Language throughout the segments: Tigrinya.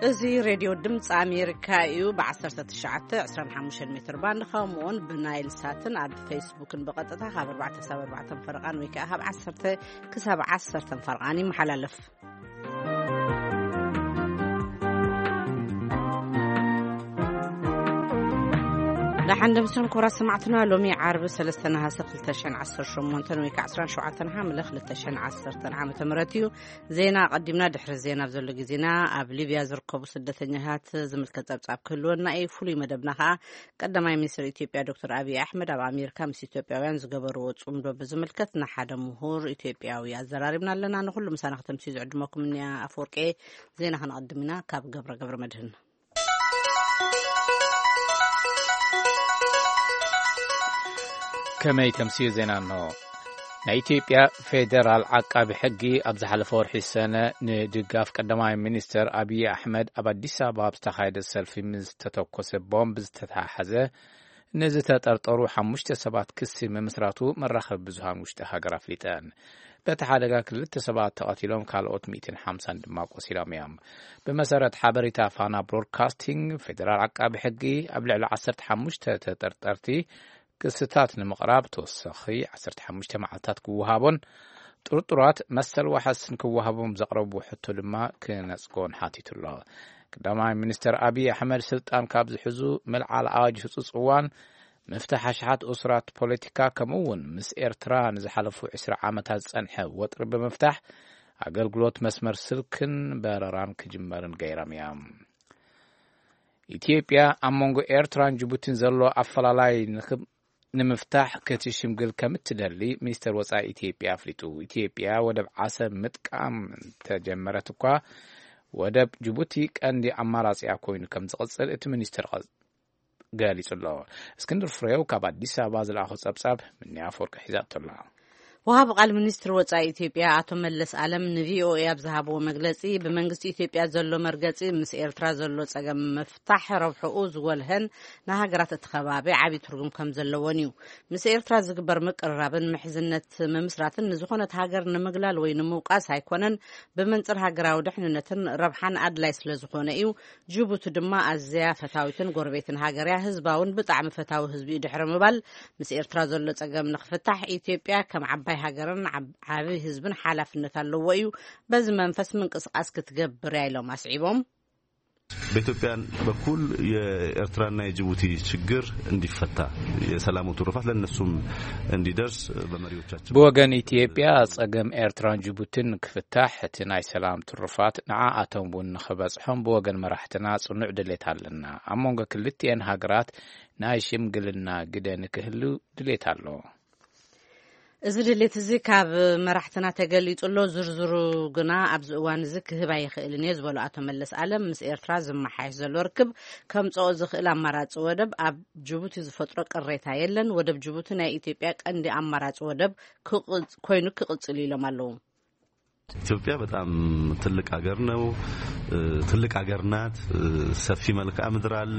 እዚ ሬድዮ ድምፂ ኣሜሪካ እዩ። ብ19፣ 25 ሜትር ባንድ፣ ከምኡውን ብናይል ሳትን ኣብ ፌስቡክን ብቐጥታ ካብ 4 ክሳብ 4 ፈረቓን ወይ ከዓ ካብ 10 ክሳብ 10 ፈረቓን ይመሓላለፍ። ደሓን ደምስን ክቡራት ሰማዕትና፣ ሎሚ ዓርቢ 3 ነሃሰ 2018 ወይ ከዓ 17 ሓምለ 2010 ዓመተ ምህረት እዩ። ዜና ኣቐዲምና። ድሕሪ ዜና ኣብ ዘሎ ግዜና፣ ኣብ ሊብያ ዝርከቡ ስደተኛታት ዝምልከት ጸብጻብ ክህልወና እዩ። ፍሉይ መደብና ከኣ ቀዳማይ ሚኒስትር ኢትዮጵያ ዶክተር ኣብይ ኣሕመድ ኣብ ኣሜሪካ ምስ ኢትዮጵያውያን ዝገበርዎ ጽምዶ ብዝምልከት ንሓደ ምሁር ኢትዮጵያዊ ኣዘራሪብና ኣለና። ንኹሉ ምሳና ከተምስዩ ዝዕድመኩም እኒኣ ኣፈወርቄ። ዜና ከነቐድም ኢና ካብ ገብረ ገብረ መድህን። ከመይ ተምስዩ ዜና እንሆ። ናይ ኢትዮጵያ ፌዴራል ዓቃቢ ሕጊ ኣብ ዝሓለፈ ወርሒ ሰነ ንድጋፍ ቀዳማይ ሚኒስተር ኣብይ ኣሕመድ ኣብ ኣዲስ ኣበባ ኣብ ዝተኻየደ ሰልፊ ምስ ዝተተኮሰ ቦምብ ዝተተሓሓዘ ንዝተጠርጠሩ ሓሙሽተ ሰባት ክሲ ምምስራቱ መራኸቢ ብዙሃን ውሽጢ ሃገር ኣፍሊጠን። በቲ ሓደጋ ክልተ ሰባት ተቐቲሎም፣ ካልኦት ሚእትን ሓምሳን ድማ ቆሲሎም እዮም። ብመሰረት ሓበሬታ ፋና ብሮድካስቲንግ፣ ፌዴራል ዓቃቢ ሕጊ ኣብ ልዕሊ ዓሰርተ ሓሙሽተ ተጠርጠርቲ ክስታት ንምቕራብ ተወሳኺ ዓሰርተ ሓሙሽተ መዓልታት ክወሃቦን ጥርጡራት መሰል ዋሕስ ንክወሃቦም ዘቕረቡ ሕቶ ድማ ክነጽጎን ሓቲቱ ኣሎ። ቀዳማይ ሚኒስተር ኣብይ ኣሕመድ ስልጣን ካብ ዝሕዙ፣ ምልዓል ኣዋጅ ህጹጽ እዋን፣ ምፍታሕ ኣሽሓት እሱራት ፖለቲካ፣ ከምኡ እውን ምስ ኤርትራ ንዝሓለፉ ዕስራ ዓመታት ዝጸንሐ ወጥሪ ብምፍታሕ፣ ኣገልግሎት መስመር ስልክን በረራን ክጅመርን ገይሮም እዮም። ኢትዮጵያ ኣብ መንጎ ኤርትራን ጅቡቲን ዘሎ ኣፈላላይ ንኽብ-፣ ንምፍታሕ ክትሽምግል ከም እትደሊ ሚኒስተር ወጻኢ ኢትዮጵያ ኣፍሊጡ። ኢትዮጵያ ወደብ ዓሰብ ምጥቃም እንተጀመረት እኳ፣ ወደብ ጅቡቲ ቀንዲ ኣማራጺኣ ኮይኑ ከም ዝቕጽል እቲ ሚኒስተር ቐ-፣ ገሊጹ ኣሎ። እስክንድር ፍሬው ካብ ኣዲስ ኣበባ ዝለኣኾ ጸብጻብ፣ ምንያ ኣፈወርቂ ሒዛቶ ኣላ። ወሃቢ ቃል ሚኒስትሪ ወጻኢ ኢትዮጵያ ኣቶ መለስ ኣለም ንቪኦኤ ኣብ ዝሃብዎ መግለጺ፣ ብመንግስቲ ኢትዮጵያ ዘሎ መርገጺ ምስ ኤርትራ ዘሎ ጸገም ምፍታሕ ረብሕኡ ዝጎልሀን ንሃገራት እቲ ከባቢ ዓቢ ትርጉም ከም ዘለዎን እዩ። ምስ ኤርትራ ዝግበር ምቅርራብን ምሕዝነት ምምስራትን ንዝኾነት ሃገር ንምግላል ወይ ንምውቃስ ኣይኮነን፣ ብመንጽር ሃገራዊ ድሕንነትን ረብሓን ኣድላይ ስለ ዝኾነ እዩ። ጅቡቲ ድማ ኣዝያ ፈታዊትን ጎረቤትን ሃገር እያ። ህዝባ እውን ብጣዕሚ ፈታዊ ህዝቢ እዩ። ድሕሪ ምባል፣ ምስ ኤርትራ ዘሎ ጸገም ንኽፍታሕ፣ ኢትዮጵያ ከም ዓባይ ሃገርን ዓብ-፣ ዓቢ ህዝብን ሓላፍነት ኣለዎ እዩ። በዚ መንፈስ ምንቅስቃስ ክትገብር እያ ኢሎም ኣስዒቦም። በኢትዮጵያ በኩል የኤርትራና የጅቡቲ ችግር እንዲፈታ፣ የሰላሙ ትሩፋት ለእነሱም እንዲደርስ በመሪዎቻችን ብወገን ኢትዮጵያ ጸገም ኤርትራን ጅቡቲን ክፍታሕ፣ እቲ ናይ ሰላም ትሩፋት ንዓኣቶም እውን ንኽበጽሖም ብወገን መራሕትና ጽኑዕ ድሌት ኣለና። ኣብ መንጎ ክልቲኤን ሃገራት ናይ ሽምግልና ግደ ንክህሉ ድሌት ኣሎ። እዚ ድሌት እዚ ካብ መራሕትና ተገሊጹ ኣሎ። ዝርዝሩ ግና ኣብዚ እዋን እዚ ክህብ ኣይኽእልን እየ ዝበሉ ኣቶ መለስ ኣለም፣ ምስ ኤርትራ ዝመሓየሽ ዘሎ ርክብ ከምጽኦ ዝኽእል ኣማራጺ ወደብ ኣብ ጅቡቲ ዝፈጥሮ ቅሬታ የለን። ወደብ ጅቡቲ ናይ ኢትዮጵያ ቀንዲ ኣማራጺ ወደብ ክቕጽ-፣ ኮይኑ ክቕጽል ኢሎም ኣለዉ። ኢትዮጵያ በጣም ትልቅ ሀገር ነው። እ፣ ትልቅ ሀገር ናት። እ፣ ሰፊ መልክዓ ምድር አለ።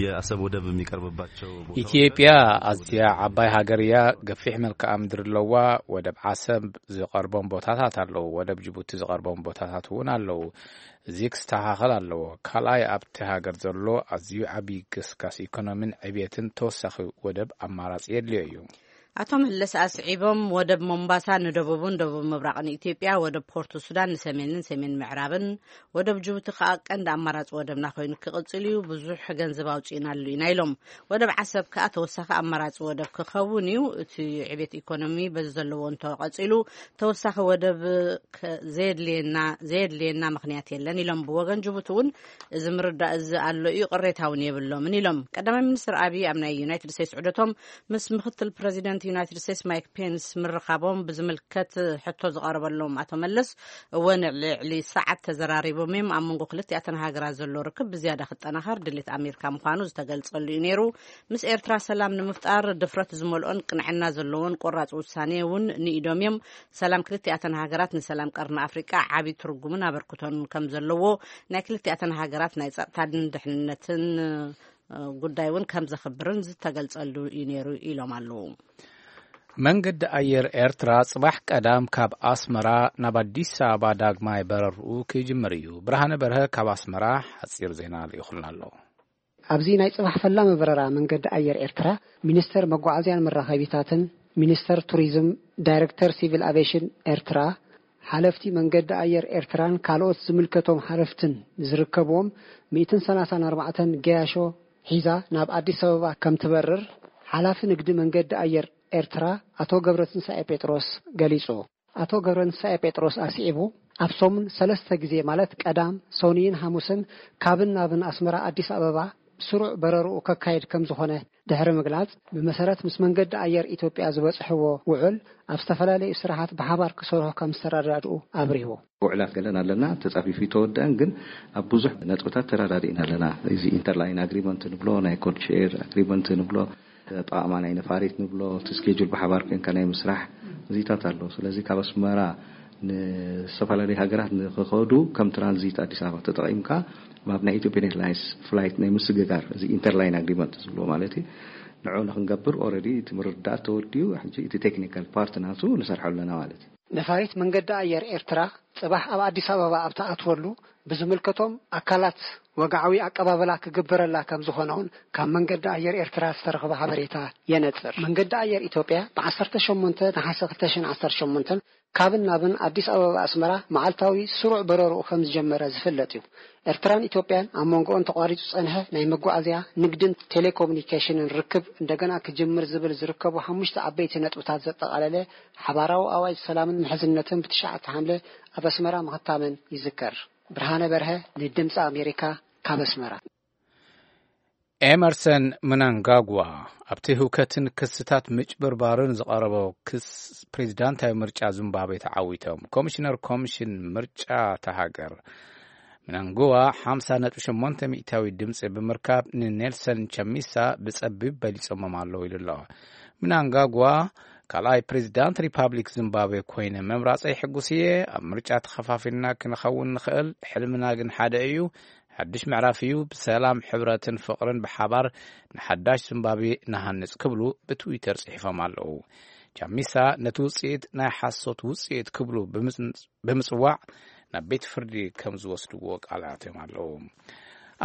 የአሰብ ወደብ የሚቀርብባቸው ቦታዎች ኢትዮጵያ አሉ። አዝያ ዓባይ ሃገር እያ። ገፊሕ መልክዓ ምድሪ ኣለዋ። ወደብ ዓሰብ ዝቐርቦም ቦታታት ኣለዉ። ወደብ ጅቡቲ ዝቐርቦም ቦታታት እውን ኣለዉ። እዚ ክስተኻኸል ኣለዎ። ካልኣይ፣ ኣብቲ ሃገር ዘሎ ኣዝዩ ዓብዪ ግስጋስ ኢኮኖሚን ዕብየትን ተወሳኺ ወደብ ኣማራጺ የድልዮ እዩ። ኣቶ መለስ ኣስዒቦም፣ ወደብ ሞምባሳ ንደቡብን ደቡብ ምብራቕን ኢትዮጵያ፣ ወደብ ፖርት ሱዳን ንሰሜንን ሰሜን ምዕራብን፣ ወደብ ጅቡቲ ከኣ ቀንዲ ኣማራጺ ወደብና ኮይኑ ክቕጽል እዩ። ብዙሕ ገንዘብ ኣውጺእናሉ ኢና ኢሎም። ወደብ ዓሰብ ከኣ ተወሳኺ ኣማራጺ ወደብ ክኸውን እዩ። እቲ ዕቤት ኢኮኖሚ በዚ ዘለዎ እንተቐጺሉ፣ ተወሳኺ ወደብ ከ-፣ ዘየድልየና፣ ዘየድልየና ምኽንያት የለን ኢሎም። ብወገን ጅቡቲ እውን እዚ ምርዳእ እዚ ኣሎ እዩ፣ ቅሬታ እውን የብሎምን ኢሎም። ቀዳማይ ሚኒስትር ኣብይ ኣብ ናይ ዩናይትድ ስቴትስ ዑደቶም ምስ ምክትል ፕረዚደንት ዩናይትድ ስቴትስ ማይክ ፔንስ ምርኻቦም ብዝምልከት ሕቶ ዝቐረበሎም ኣቶ መለስ፣ እወ፣ ንልዕሊ ሰዓት ተዘራሪቦም እዮም። ኣብ መንጎ ክልቲኣተን ሃገራት ዘሎ ርክብ ብዝያዳ ክጠናኸር ድሌት ኣሜሪካ ምዃኑ ዝተገልጸሉ እዩ ነይሩ። ምስ ኤርትራ ሰላም ንምፍጣር ድፍረት ዝመልኦን ቅንዕና ዘለዎን ቆራጽ ውሳኔ እውን ንኢዶም እዮም። ሰላም ክልቲኣተን ሃገራት ንሰላም ቀርኒ ኣፍሪቃ ዓቢ ትርጉምን ኣበርክቶን ከም ዘለዎ፣ ናይ ክልቲኣተን ሃገራት ናይ ጸጥታን ድሕንነትን፣ እ፣ ጉዳይ እውን ከም ዘኽብርን ዝተገልጸሉ እዩ ነይሩ ኢሎም ኣለዉ። መንገዲ ኣየር ኤርትራ ጽባሕ ቀዳም ካብ ኣስመራ ናብ ኣዲስ ኣበባ ዳግማይ በረርኡ ክጅምር እዩ። ብርሃነ በርሀ ካብ ኣስመራ ሓጺር ዜና ልኢኹልና ኣሎ። ኣብዚ ናይ ጽባሕ ፈላሚ በረራ መንገዲ ኣየር ኤርትራ፣ ሚኒስተር መጓዓዝያን መራኸቢታትን፣ ሚኒስተር ቱሪዝም፣ ዳይረክተር ሲቪል ኣቪዬሽን ኤርትራ፣ ሓለፍቲ መንገዲ ኣየር ኤርትራን ካልኦት ዝምልከቶም ሓለፍትን ዝርከብዎም ሚእትን ሰላሳን ኣርባዕተን ገያሾ ሒዛ ናብ ኣዲስ ኣበባ ከም ትበርር ሓላፊ ንግዲ መንገዲ ኣየር ኤርትራ ኣቶ ገብረትንሳኤ ጴጥሮስ ገሊጹ። ኣቶ ገብረትንሳኤ ጴጥሮስ ኣስዒቡ፣ ኣብ ሰሙን ሰለስተ ግዜ ማለት ቀዳም፣ ሰኑይን ሓሙስን ካብን ናብን ኣስመራ ኣዲስ ኣበባ ስሩዕ በረርኡ ከካይድ ከም ዝኾነ ድሕሪ ምግላጽ፣ ብመሰረት ምስ መንገዲ ኣየር ኢትዮጵያ ዝበጽሕዎ ውዕል ኣብ ዝተፈላለዩ ስራሓት ብሓባር ክሰርሑ ከም ዝተረዳድኡ ኣብሪሁ። ውዕላት ገለን ኣለና፣ ተጻፊፉ ይተወደአን፣ ግን ኣብ ብዙሕ ነጥብታት ተረዳዲእና ኣለና። እዚ ኢንተርላይን ኣግሪመንት ንብሎ፣ ናይ ኮድ ሼር ኣግሪመንት ንብሎ፣ ኣጠቓቕማ ናይ ነፋሪት ንብሎ፣ እቲ ስኬጁል ብሓባር ኮንካ ናይ ምስራሕ እዚታት ኣሎ። ስለዚ ካብ ኣስመራ ንዝተፈላለዩ ሃገራት ንክኸዱ ከም ትራንዚት ኣዲስ ኣበባ ተጠቒምካ ናብ ናይ ኢትዮጵያን ኤርላይንስ ፍላይት ናይ ምስግጋር፣ እዚ ኢንተርላይን ኣግሪመንት ዝብሎ ማለት እዩ። ንዑ ንክንገብር ኦልሬዲ እቲ ምርዳእ ተወዲኡ፣ ሕጂ እቲ ቴክኒካል ፓርት ናቱ ንሰርሐሉ ኣለና ማለት እዩ። ነፋሪት መንገዲ ኣየር ኤርትራ ጽባሕ ኣብ ኣዲስ ኣበባ ኣብ ትኣትወሉ ብዝምልከቶም ኣካላት ወግዓዊ ኣቀባበላ ክግበረላ ከም ዝኾነ እውን ካብ መንገዲ ኣየር ኤርትራ ዝተረኽበ ሓበሬታ የነጽር። መንገዲ ኣየር ኢትዮጵያ ብ ዓሰርተ ሸሞንተ ነሓሰ ክልተ ሽሕን ዓሰርተ ሸሞንተን ካብን ናብን ኣዲስ ኣበባ ኣስመራ መዓልታዊ ስሩዕ በረርኡ ከም ዝጀመረ ዝፍለጥ እዩ። ኤርትራን ኢትዮጵያን ኣብ መንጎኦን ተቋሪጹ ዝጸንሐ ናይ መጓዓዝያ፣ ንግድን ቴሌኮሙኒኬሽንን ርክብ እንደገና ክጅምር ዝብል ዝርከቡ ሓሙሽተ ዓበይቲ ነጥብታት ዘጠቓለለ ሓባራዊ ኣዋጅ ሰላምን ምሕዝነትን ብትሽዓተ ሓምለ ኣብ ኣስመራ ምኽታመን ይዝከር። ብርሃነ በርሀ ንድምፂ ኣሜሪካ ካብ ኣስመራ። ኤመርሰን ምናንጋግዋ ኣብቲ ህውከትን ክስታት ምጭብርባርን ዝቐረቦ ክስ ፕሬዚዳንታዊ ምርጫ ዚምባብዌ ተዓዊቶም። ኮሚሽነር ኮሚሽን ምርጫ እታ ሃገር ምናንግዋ ሓምሳ ነጥቢ ሸሞንተ ሚእታዊ ድምፂ ብምርካብ ንኔልሰን ቸሚሳ ብፀቢብ በሊፆሞም ኣለዉ ኢሉ ኣሎ። ምናንጋግዋ ካልኣይ ፕሬዚዳንት ሪፓብሊክ ዚምባብዌ ኮይነ ምምራፀይ ሕጉስ እየ። ኣብ ምርጫ ተኸፋፊልና ክንኸውን ንኽእል፣ ሕልምና ግን ሓደ እዩ። ሓድሽ ምዕራፍ እዩ። ብሰላም፣ ሕብረትን ፍቕርን ብሓባር ንሓዳሽ ዚምባብዌ ንሃንጽ ክብሉ ብትዊተር ጽሒፎም ኣለዉ። ቻሚሳ ነቲ ውጽኢት ናይ ሓሶት ውጽኢት ክብሉ ብምጽ-፣ ብምጽዋዕ ናብ ቤት ፍርዲ ከም ዝወስድዎ ቃል ኣትዮም ኣለዉ።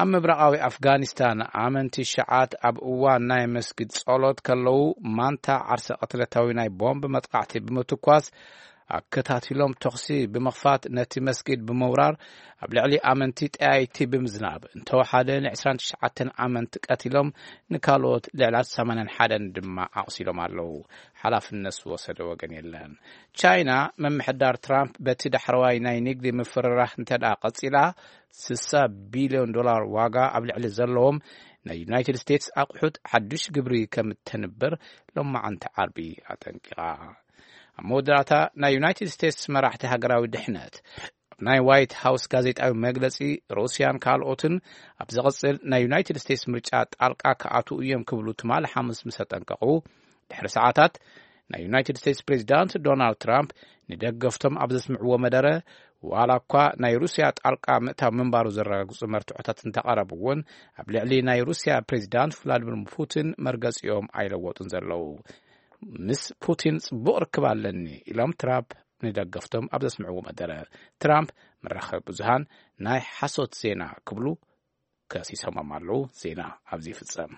ኣብ ምብራቓዊ ኣፍጋኒስታን ኣመንቲ ሽዓት ኣብ እዋን ናይ መስጊድ ጸሎት ከለዉ ማንታ ዓርሰ ቅትለታዊ ናይ ቦምብ መጥቃዕቲ ብምትኳስ ኣከታቲሎም ተኹሲ ብምኽፋት ነቲ መስጊድ ብምውራር ኣብ ልዕሊ ኣመንቲ ጠያይቲ ብምዝናብ እንተወሓደ ን ዕስራን ትሽዓተን ኣመንቲ ቀቲሎም ንካልኦት ልዕሊ ሰማንያን ሓደን ድማ ኣቑሲሎም ኣለዉ። ሓላፍነት ዝወሰደ ወገን የለን። ቻይና ምምሕዳር ትራምፕ በቲ ዳሕረዋይ ናይ ንግዲ ምፍርራህ እንተ ደኣ ቀጺላ ስሳ ቢልዮን ዶላር ዋጋ ኣብ ልዕሊ ዘለዎም ናይ ዩናይትድ ስቴትስ ኣቑሑት ሓድሽ ግብሪ ከም እተንብር ሎማዓንቲ ዓርቢ ኣጠንቂቓ። ኣብ መወዳእታ ናይ ዩናይትድ ስቴትስ መራሕቲ ሃገራዊ ድሕነት ኣብ ናይ ዋይት ሃውስ ጋዜጣዊ መግለጺ ሩስያን ካልኦትን ኣብ ዝቕጽል ናይ ዩናይትድ ስቴትስ ምርጫ ጣልቃ ክኣትዉ እዮም ክብሉ ትማሊ ሓሙስ ምስ ኣጠንቀቑ ድሕሪ ሰዓታት ናይ ዩናይትድ ስቴትስ ፕሬዚዳንት ዶናልድ ትራምፕ ንደገፍቶም ኣብ ዘስምዕዎ መደረ ዋላ እኳ ናይ ሩስያ ጣልቃ ምእታው ምንባሩ ዘረጋግጹ መርትዖታት እንተቐረቡ እውን ኣብ ልዕሊ ናይ ሩስያ ፕሬዚዳንት ቭላድሚር ፑቲን መርገጺኦም ኣይለወጡን ዘለዉ። ምስ ፑቲን ጽቡቕ ርክብ ኣለኒ ኢሎም ትራምፕ ንደገፍቶም ኣብ ዘስምዕዎ መደረ ትራምፕ መራኸቢ ብዙሃን ናይ ሓሶት ዜና ክብሉ ከሲሶሞም ኣለዉ። ዜና ኣብዚ ይፍጸም።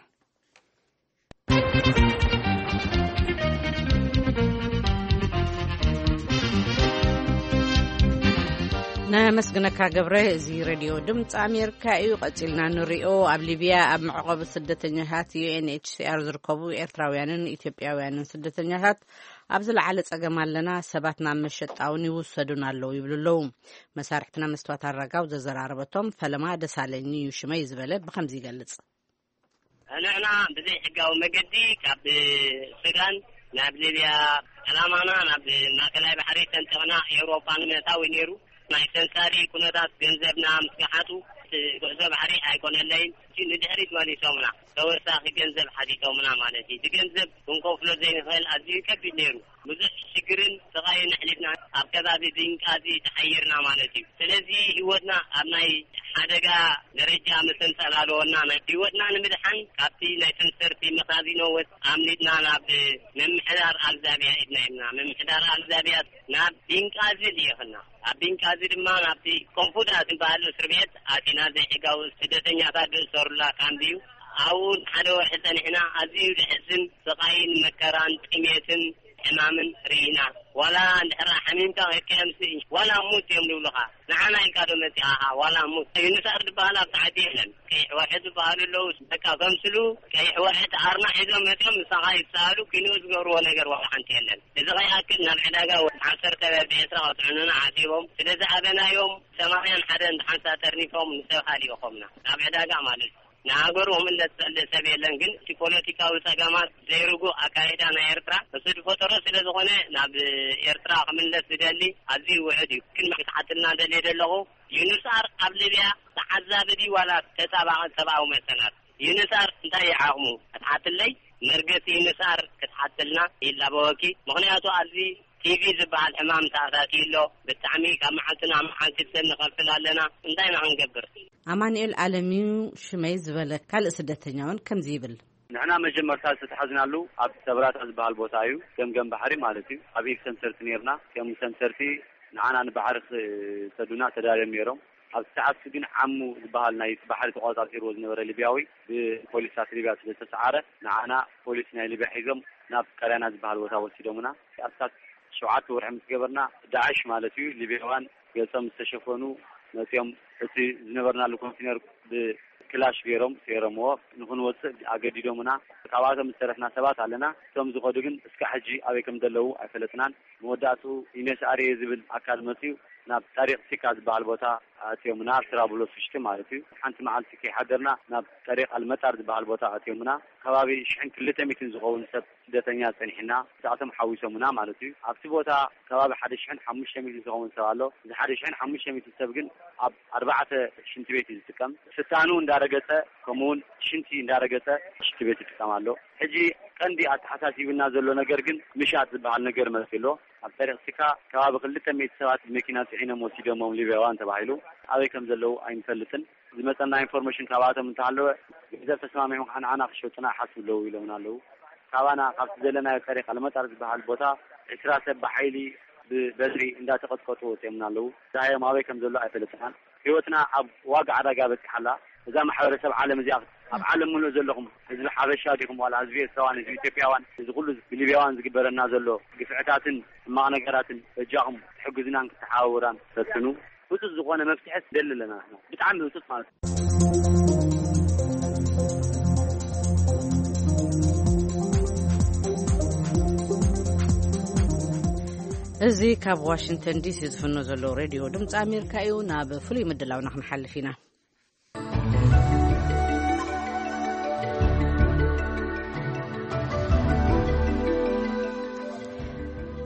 ነመስግነካ ገብረ። እዚ ሬድዮ ድምፂ ኣሜሪካ እዩ። ቀፂልና ንሪኦ። ኣብ ሊብያ ኣብ መዕቆቢ ስደተኛታት ዩ ኤን ኤች ሲ ኣር ዝርከቡ ኤርትራውያንን ኢትዮጵያውያንን ስደተኛታት ኣብ ዝለዓለ ፀገም ኣለና፣ ሰባት ናብ መሸጣ እውን ይውሰዱን ኣለዉ ይብሉ ኣለዉ። መሳርሕትና መስትዋት ኣረጋው ዘዘራረበቶም ፈለማ ደሳለኝ እዩ ሽመይ ዝበለ ብከምዚ ይገልፅ። ንሕና ብዘይ ሕጋዊ መገዲ ካብ ሱዳን ናብ ሊብያ፣ ዕላማና ናብ ማእከላይ ባሕሪ ሰንጢቕና ኤውሮጳ ንምእታው እዩ ነይሩ። ናይ ሰንሳሪ ኩነታት ገንዘብና ምስ ገሓጡ፣ እቲ ጉዕዞ ባሕሪ ኣይኮነለይን። እቲ ንድሕሪት መሊሶምና፣ ተወሳኺ ገንዘብ ሓቲቶምና ማለት እዩ። እቲ ገንዘብ ክንከፍሎ ዘይንኽእል ኣዝዩ ከቢድ ነይሩ። ብዙሕ ሽግርን ስቓይን ኣሕሊፍና ኣብ ከባቢ ድንቃዚ ተሓይርና ማለት እዩ። ስለዚ ህይወትና ኣብ ናይ ሓደጋ ደረጃ ምስተንጸላለወና፣ ናይ ህይወትና ንምድሓን ካብቲ ናይ ሰንሰርቲ መኻዚኖ ወጥ ኣምሊጥና ናብ ምምሕዳር ኣልዛብያ ኢድና ኢልና። ምምሕዳር ኣልዛብያ ናብ ቢንቃዚ ልኢኽና። ኣብ ቢንቃዚ ድማ ናብቲ ኮንፉዳ ዝበሃል እስር ቤት ኣቲና። ዘይሕጋዊ ስደተኛታት ዝእሰሩላ ካምፕ እዩ። ኣብኡ ንሓደ ወርሒ ጸኒሕና። ኣዝዩ ዘሕዝን ስቓይን መከራን ጥሜትን ሕማምን ርኢና። ዋላ እንድሕር ሓሚምካ ከድካ የምስእ፣ ዋላ ሙት እዮም ዝብሉኻ። ንዓና ኢልካ ዶ መጺኻ? ዋላ ሙት። ዩኒሳር ዝበሃል ኣብ ታሕቲ የለን። ቀይሕ ወርሒ ዝበሃሉ ኣለዉ። በቃ ከምስሉ ቀይሕ ወርሒ ተኣርና ሒዞም መጺኦም ምሳኻ ይሰኣሉ፣ ኪንኡ ዝገብርዎ ነገር ዋላ ሓንቲ የለን። እዚ ከይኣክል ናብ ዕዳጋ ወዲ ዓሰርተ ብዒስራ ከጥዕኑና ሓሲቦም። ስለ ዝኣበናዮም ሰማንያን ሓደን ሓንሳ ተርኒፎም ንሰብ ሃሊኦኾምና። ናብ ዕዳጋ ማለት እዩ። ንሃገሩ ክምለስ ዝኽእል ሰብ የለን። ግን እቲ ፖለቲካዊ ጸገማት ዘይርጉእ ኣካይዳ ናይ ኤርትራ እሱ ዝፈጠሮ ስለ ዝኾነ ናብ ኤርትራ ክምለስ ዝደሊ ኣዝዩ ውሑድ እዩ። ግን ክትሓትልና ደልየ ዘለኹ፣ ዩንስኣር ኣብ ሊብያ ተዓዛቢ ድዩ ዋላ ተጣባቒ ሰብኣዊ መሰላት? ዩንስኣር እንታይ እዩ ዓቕሙ? ክትሓትለይ መርገጺ ዩንስኣር ክትሓትልና ይላበወኪ። ምኽንያቱ ኣብዚ ቲቪ ዝበሃል ሕማም ተኣታትዩ ኣሎ። ብጣዕሚ ካብ መዓልቲ ናብ መዓልቲ ሰብ ንኸፍል ኣለና። እንታይ ኢና ክንገብር? ኣማኑኤል ኣለምዩ ሽመይ ዝበለ ካልእ ስደተኛ እውን ከምዚ ይብል። ንሕና መጀመርታ ዝተታሕዝናሉ ኣብ ሰብራታ ዝበሃል ቦታ እዩ፣ ገምገም ባሕሪ ማለት እዩ። ኣብ ኢፍ ሰንሰርቲ ነይርና። ከም ሰንሰርቲ ንዓና ንባሕሪ ክሰዱና ተዳልዮም ነይሮም። ኣብ ሰዓት ግን ዓሙ ዝበሃል ናይ ባሕሪ ተቆጻጺርዎ ዝነበረ ሊብያዊ ብፖሊስታት ሊብያ ስለ ዝተሰዓረ፣ ንዓና ፖሊስ ናይ ሊብያ ሒዞም ናብ ቀርያና ዝበሃል ቦታ ወሲዶምና። ኣብ ሰዓት ሸውዓተ ወርሒ ምስ ገበርና፣ ዳዕሽ ማለት እዩ፣ ሊብያውያን ገጾም ዝተሸፈኑ መጺኦም፣ እቲ ዝነበርናሉ ኮንቲነር ብክላሽ ገይሮም ሰይሮምዎ። ንኽንወጽእ ኣገዲዶምና። ካብኣቶም ዝተረፍና ሰባት ኣለና። እቶም ዝኸዱ ግን እስካዕ ሕጂ ኣበይ ከም ዘለዉ ኣይፈለጥናን። መወዳእትኡ ዩኔስኣር እየ ዝብል ኣካል መጺኡ ናብ ጠሪቕ ሲካ ዝበሃል ቦታ ኣእትዮምና፣ ኣብ ትራብሎስ ውሽጢ ማለት እዩ። ሓንቲ መዓልቲ ከይሓደርና ናብ ጠሪቕ ኣልመጣር ዝበሃል ቦታ ኣእትዮምና። ከባቢ ሽሕን ክልተ ሚእትን ዝኸውን ሰብ ስደተኛ ጸኒሕና፣ እሳቶም ሓዊሶምና ማለት እዩ። ኣብቲ ቦታ ከባቢ ሓደ ሽሕን ሓሙሽተ ሚእትን ዝኸውን ሰብ ኣሎ። እዚ ሓደ ሽሕን ሓሙሽተ ሚእትን ሰብ ግን ኣብ ኣርባዕተ ሽንቲ ቤት እዩ ዝጥቀም። ስታኑ እንዳረገጸ፣ ከምኡውን ሽንቲ እንዳረገጸ ሽንቲ ቤት ይጥቀም ኣሎ። ሕጂ ቀንዲ ኣተሓሳሲብና ዘሎ ነገር ግን ምሻጥ ዝበሃል ነገር መጺኡ ኣሎ። ኣብ ጠሪቕ ሲካ ከባቢ ክልተ ሚእቲ ሰባት ብመኪና ጽዒኖም ወሲዶሞም ሊብያውያን ተባሂሉ። ኣበይ ከም ዘለዉ ኣይንፈልጥን። ዝመጸና ኢንፎርሜሽን ካብኣቶም እንተሃለወ፣ ገንዘብ ተስማሚዖም ከዓ ንዓና ክሸጡና ይሓስቡ ኣለዉ ኢሎምና ኣለዉ። ካባና ካብቲ ዘለናዮ ጠሪቕ ኣልመጣር ዝበሃል ቦታ ዕስራ ሰብ ብሓይሊ ብበትሪ እንዳተቐጥቀጡ ወፂኦምና ኣለዉ። ዳሃዮም ኣበይ ከም ዘሎ ኣይፈለጥናን። ህይወትና ኣብ ዋጋ ዕዳጋ በፂሓ ኣላ። እዛ ማሕበረሰብ ዓለም እዚኣ፣ ኣብ ዓለም ሙሉእ ዘለኹም ህዝቢ ሓበሻ ዲኹም ዋላ ህዝቢ ኤርትራውያን፣ ህዝቢ ኢትዮጵያውያን፣ እዚ ኩሉ ብሊብያውያን ዝግበረና ዘሎ ግፍዕታትን ሕማቕ ነገራትን በጃኹም ክትሕግዙናን ክትተሓባበሩናን ፈትኑ። ህጹጽ ዝኾነ መፍትሒ ንደሊ ኣለና ንሕና። ብጣዕሚ ህጹጽ ማለት እዩ። እዚ ካብ ዋሽንግተን ዲሲ ዝፍኖ ዘሎ ሬድዮ ድምፂ ኣሜሪካ እዩ። ናብ ፍሉይ ምድላውና ክንሓልፍ ኢና።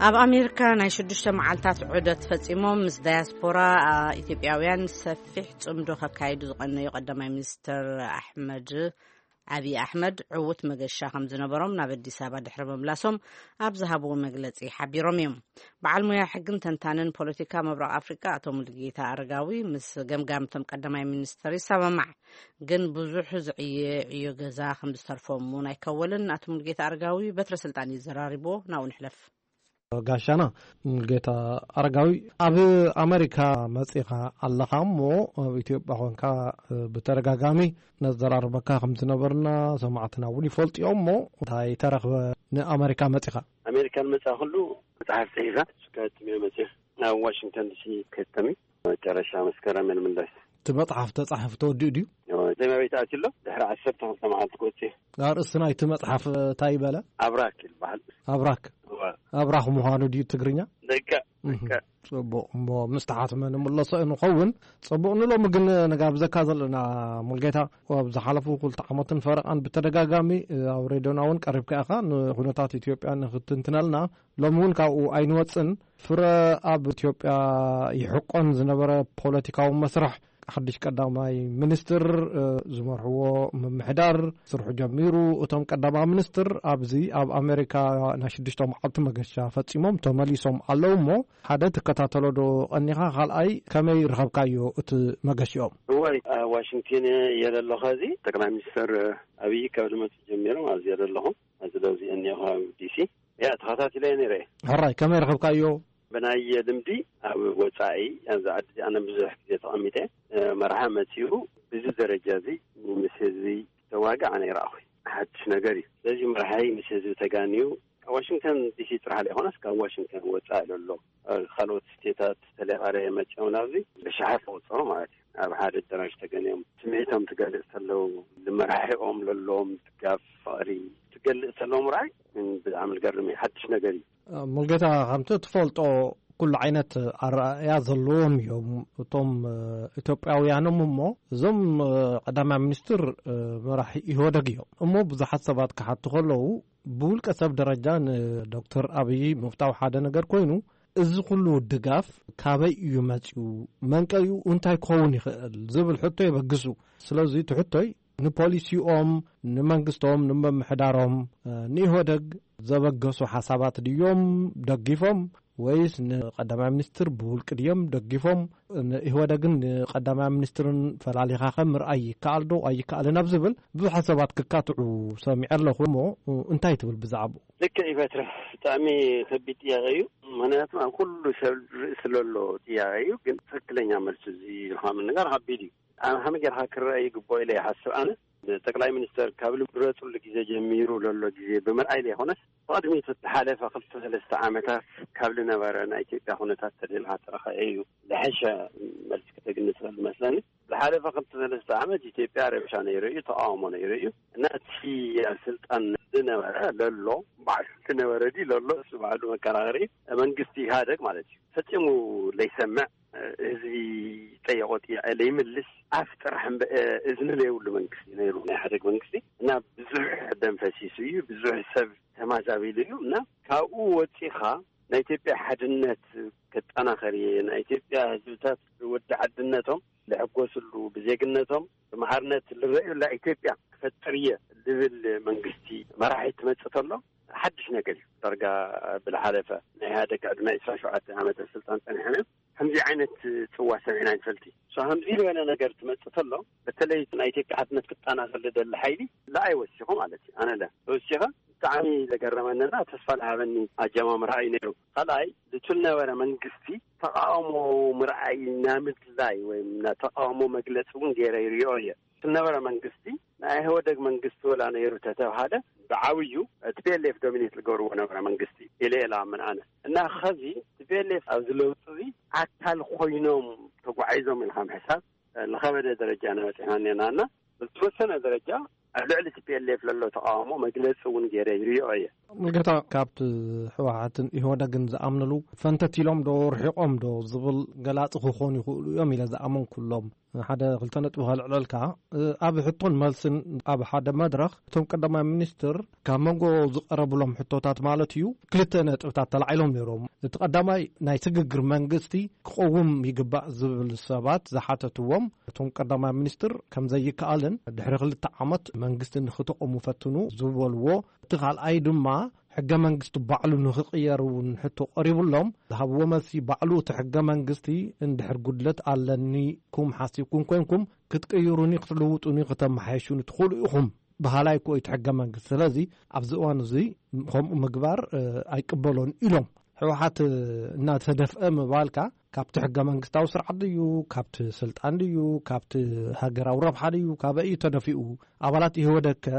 ኣብ ኣሜሪካ ናይ ሽዱሽተ መዓልታት ዑደት ፈጺሞም ምስ ዳያስፖራ ኢትዮጵያውያን ሰፊሕ ጽምዶ ከካይዱ ዝቐነዩ ቀዳማይ ሚኒስትር ኣሕመድ፣ ኣብዪ ኣሕመድ፣ ዕዉት መገሻ ከም ዝነበሮም ናብ ኣዲስ ኣበባ ድሕሪ ምምላሶም ኣብ ዝሃብዎ መግለጺ ሓቢሮም እዮም። በዓል ሞያ ሕግን ተንታንን ፖለቲካ ምብራቕ ኣፍሪቃ ኣቶ ሙሉጌታ ኣረጋዊ ምስ ገምጋምቶም ቀዳማይ ሚኒስትር ይሰማማዕ። ግን ብዙሕ ዝዕየ ዕዮ ገዛ ከም ዝተርፎም እውን ኣይከወልን። ኣቶ ሙሉጌታ ኣረጋዊ በትረ ስልጣን እዩ ዘራሪቦ። ናብኡ ንሕለፍ። ጋሻና ሙሉጌታ ኣረጋዊ፣ ኣብ ኣሜሪካ መጺኻ ኣለኻ እሞ፣ ኣብ ኢትዮጵያ ኾንካ ብተደጋጋሚ ነዘራርበካ ከም ዝነበርና ሰማዕትና እውን ይፈልጡ እዮም። እሞ እንታይ ተረኽበ ንኣሜሪካ መጺኻ? ኣሜሪካ ንመጻ ኩሉ መጽሓፍ ጽሒፈ፣ እሱ ከትም እየ መጽእ። ናብ ዋሽንግተን ዲሲ ከትም እዩ። መጨረሻ መስከረም እየ ንምለስ። እቲ መጽሓፍ ተጻሒፉ ተወዲኡ ድዩ? እወ፣ ዘመቤት ኣትዩ ኣሎ። ድሕሪ ዓሰርተ ክልተ መዓልቲ ክወጽእ እየ። ኣርእስቲ ናይቲ መጽሓፍ እንታይ ይበለ? ኣብራክ ይበሃል። ኣብራክ? እወ። ኣብራኽ ምዃኑ ድዩ ትግርኛ? ደቀ፣ እህ፣ ደቀ። ጽቡቕ። እሞ ምስ ተሓትመ ንምለሶ ንኸውን። ጽቡቕ። ንሎሚ ግን ንጋብዘካ ዘለና ሙልጌታ፣ ኣብ ዝሓለፉ ክልተ ዓመትን ፈረቓን ብተደጋጋሚ ኣብ ሬድዮና እውን ቀሪብካ ኢኻ፣ ንኩነታት ኢትዮጵያ ንክትንትነልና። ሎሚ እውን ካብኡ ኣይንወጽን። ፍረ ኣብ ኢትዮጵያ ይሕቆን ዝነበረ ፖለቲካዊ መስርሕ ሓድሽ ቀዳማይ ሚኒስትር፣ እ፣ ዝመርሕዎ ምምሕዳር ስርሑ ጀሚሩ። እቶም ቀዳማይ ሚኒስትር ኣብዚ ኣብ ኣሜሪካ ናይ ሽዱሽተ መዓልቲ መገሻ ፈጺሞም ተመሊሶም ኣለዉ። እሞ ሓደ ትከታተሎ ዶ ቀኒኻ? ካልኣይ ከመይ ረኸብካዮ እቲ መገሽኦም? እዋይ፣ ኣብ ዋሽንግተን እየ ዘለኹ። እዚ ጠቅላይ ሚኒስትር ኣብይ ካብ ዝመፁ ጀሚሮም ኣብዚ እየ ዘለኹ። ስለዚ እኒኦ ኣብ ዲሲ እያ ተኸታቲለ ነይረ። ሕራይ ከመይ ረኸብካዮ? ብናይ ልምዲ ኣብ ወፃኢ ኣብዚ ዓዲ ኣነ ብዙሕ ግዜ ተቐሚጠ፣ እ፣ መርሓ መፂኡ ብዚ ደረጃ እዚ ምስ ህዝቢ ተዋግዕ ኣነ ይረኣኹ። ሓድሽ ነገር እዩ። ስለዚ መርሓይ ምስ ህዝቢ ተጋንዩ ካብ ዋሽንግተን ዲሲ ጥራሕ ዘይኮነስ ካብ ዋሽንግተን ወፃኢ ዘሎ፣ እ፣ ካልኦት ስቴታት ተለቃረ መፂኦም ናብዚ ብሽሓት ተቆፀሩ ማለት እዩ። ኣብ ሓደ ኣዳራሽ ተገንዮም ስምዒቶም ትገልፅ ተለው፣ ንመራሒኦም ለሎም ድጋፍ ፍቕሪ ትገልፅ ተለው ምርኣይ ብጣዕሚ ዝገርም እዩ። ሓድሽ ነገር እዩ። ሙልጌታ፣ ከምቲ ትፈልጦ ኩሉ ዓይነት ኣረኣእያ ዘለዎም እዮም እቶም፣ እ፣ ኢትዮጵያውያኖም። እሞ እዞም፣ እ፣ ቀዳማይ ሚኒስትር፣ እ፣ መራሒ ኢህወደግ እዮም። እሞ ብዙሓት ሰባት ክሓቱ ከለዉ ብውልቀ ሰብ ደረጃ ንዶክተር ኣብይ ምፍታው ሓደ ነገር ኮይኑ፣ እዚ ኩሉ ድጋፍ ካበይ እዩ መጺኡ? መንቀይኡ እንታይ ክኸውን ይኽእል? ዝብል ሕቶ የበግሱ። ስለዚ እቲ ሕቶይ ንፖሊሲኦም፣ ንመንግስቶም፣ ንምምሕዳሮም፣ እ፣ ንኢህወደግ ዘበገሱ ሓሳባት ድዮም ደጊፎም? ወይስ ንቀዳማይ ሚኒስትር ብውልቂ ድዮም ደጊፎም? ንኢህወደግን ንቀዳማይ ሚኒስትርን ፈላሊኻ ከ ምርኣይ ይከኣል ዶ ኣይከኣልን ኣብ ዝብል ብዙሓት ሰባት ክካትዑ ሰሚዐ ኣለኹ። እሞ እንታይ ትብል ብዛዕባኡ? ልክዕ እዩ በትረ፣ ብጣዕሚ ከቢድ ጥያቄ እዩ። ምክንያቱ ኣብ ኩሉ ሰብ ርእሲ ለሎ ጥያቄ እዩ፣ ግን ትክክለኛ መልሲ እዚ ኢልካ ምንጋር ከቢድ እዩ። ኣብ ከመይ ጌርካ ክረአ ይግብኦ ኢለ ይሓስብ ኣነ። ጠቅላይ ሚኒስተር ካብ ዝምረፅሉ ግዜ ጀሚሩ ለሎ ግዜ ብምርኣይ ዘይኮነስ፣ ብቕድሚት ዝሓለፈ ክልተ ሰለስተ ዓመታት ካብ ዝነበረ ናይ ኢትዮጵያ ኩነታት ተደልካ ተረኸ እዩ ዝሐሸ መልሲ ክተግኒ ትኽእል ዝመስለኒ። ዝሓለፈ ክልተ ሰለስተ ዓመት ኢትዮጵያ ረብሻ ነይሩ እዩ፣ ተቃውሞ ነይሩ እዩ። እና እቲ ኣብ ስልጣን ዝነበረ ለሎ ባዕሉ ዝነበረ ድዩ ለሎ እሱ ባዕሉ መከራኸሪ መንግስቲ ኢህኣደግ ማለት እዩ። ፈጺሙ ለይሰምዕ፣ ህዝቢ ጠየቆ ጥያቄ ለይምልስ ኣፍ ጥራሕ እምበ-፣ እዝኒ ለይብሉ መንግስቲ ነይሩ ናይ ኢህኣደግ መንግስቲ። እና ብዙሕ ደም ፈሲሱ እዩ፣ ብዙሕ ሰብ ተማዛቢሉ እዩ። እና ካብኡ ወፂኻ ናይ ኢትዮጵያ ሓድነት ክጠናኸር እየ፣ ናይ ኢትዮጵያ ህዝብታት ወዲ ዓድነቶም ልሕጎስሉ፣ ብዜግነቶም ብማዕርነት ልረእዩላ ኢትዮጵያ ክፈጥር እየ ዝብል መንግስቲ መራሒ ትመጽእ ተሎ ሓድሽ ነገር እዩ። ዳርጋ ብዝሓለፈ ናይ ኢህኣደግ ዕድመ ዕስራን ሸውዓተን ዓመት ኣብ ስልጣን ጸኒሖም እዮም ከምዚ ዓይነት ጽዋ ሰሚዕና ንፈልቲ። ሶ ከምዚ ዝበለ ነገር ትመጽእ ተሎ በተለይ ናይ ኢትዮጵያ ሓድነት ክጠናኸር ዝደሊ ሓይሊ ንዓይ ወሲኹ ማለት እዩ። ኣነ ለ ተወሲኸ ብጣዕሚ ዘገረመንና ተስፋ ዝሃበኒ ኣጀማምራ እዩ ነይሩ። ካልኣይ፣ እቲ ዝነበረ መንግስቲ ተቃውሞ ምርኣይ ናይ ምድላይ ወይ ናይ ተቃውሞ መግለፂ እውን ገይረ ይሪኦ እየ። እቲ ዝነበረ መንግስቲ ናይ ኢህወደግ መንግስቲ ወላ ነይሩ ተተብሃለ ብዓብዩ ቲ ፒ ኤል ኤፍ ዶሚኔት ዝገብርዎ ነበረ መንግስቲ ኢለ እየ ዝኣምን ኣነ። እና ኸዚ ቲ ፒ ኤል ኤፍ ኣብዚ ለውጢ እዚ ኣካል ኮይኖም ተጓዒዞም ኢልካ ምሕሳብ ዝኸበደ ደረጃ ኢና በፂሕና እኒአና። እና ብዝተወሰነ ደረጃ ኣብ ልዕሊ ቲ ፒ ኤል ኤፍ ለሎ ተቃውሞ መግለፂ እውን ገይረ ይሪኦ እየ። ሙልጌታ፣ ካብቲ ህወሓትን ኢህወደግን ዝኣምንሉ ፈንተት ኢሎም ዶ ርሒቆም ዶ ዝብል ገላፂ ክኾኑ ይኽእሉ እዮም ኢለ ዝኣመንኩ ኣለዉ። ሓደ ክልተ ነጥቢ ከልዕለልካ፣ ኣብ ሕቶን መልስን ኣብ ሓደ መድረኽ እቶም ቀዳማይ ሚኒስትር ካብ መንጎ ዝቐረብሎም ሕቶታት ማለት እዩ ክልተ ነጥብታት ተላዒሎም ነይሮም። እቲ ቀዳማይ ናይ ስግግር መንግስቲ ክቐውም ይግባእ ዝብል ሰባት ዝሓተትዎም እቶም ቀዳማይ ሚኒስትር ከም ዘይከኣልን ድሕሪ ክልተ ዓመት መንግስቲ ንክተቐሙ ፈትኑ ዝበልዎ፣ እቲ ካልኣይ ድማ ሕገ መንግስቲ ባዕሉ ንክቕየር እውን ሕቶ ቀሪቡሎም ዝሃብዎ መልሲ ባዕሉ እቲ ሕገ መንግስቲ እንድሕር ጉድለት ኣለኒ ኩም ሓሲብኩም ኮንኩም ክትቅይሩኒ ክትልውጡኒ ክተመሓየሹኒ ትኽእሉ ኢኹም በሃላይ እኮ እዩ እቲ ሕገ መንግስቲ። ስለዚ ኣብዚ እዋን እዚ ከምኡ ምግባር፣ እ፣ ኣይቅበሎን ኢሎም። ህወሓት፣ እ፣ እናተደፍአ ምባልካ ካብቲ ሕገ መንግስታዊ ስርዓት ድዩ፣ ካብቲ ስልጣን ድዩ፣ ካብቲ ሃገራዊ ረብሓ ድዩ፣ ካበይ እዩ ተደፊኡ? ኣባላት ኢህወደግ ከ